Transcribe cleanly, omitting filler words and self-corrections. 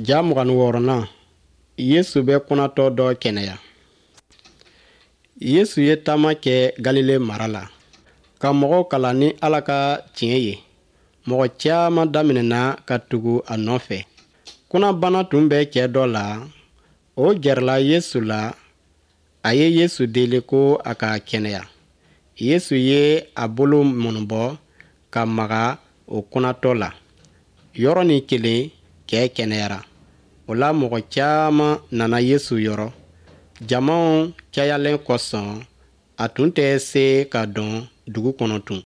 Ja 26nan, Yesu bɛ kunatɔ dɔ kɛnɛya. Yesu ye taama kɛ Galile mara la, ka mɔgɔw kalan ni Ala ka tiɲɛ ye. Mɔgɔ caman daminɛna ka tugu a nɔfɛ. Kunabana tun bɛ cɛ dɔ la, o gɛrɛla Yesu la, a ye Yesu deli ko a k'a kɛnɛya. Yesu ye a bolo mɔnɔbɔ ka maga o kunatɔ la. Yɔrɔnin kelen, cɛ kɛnɛyara. O la mɔgɔ caman nana Yesu yɔrɔ. Jama cayalen kosɔn, a tun tɛ se ka don dugu kɔnɔ tun.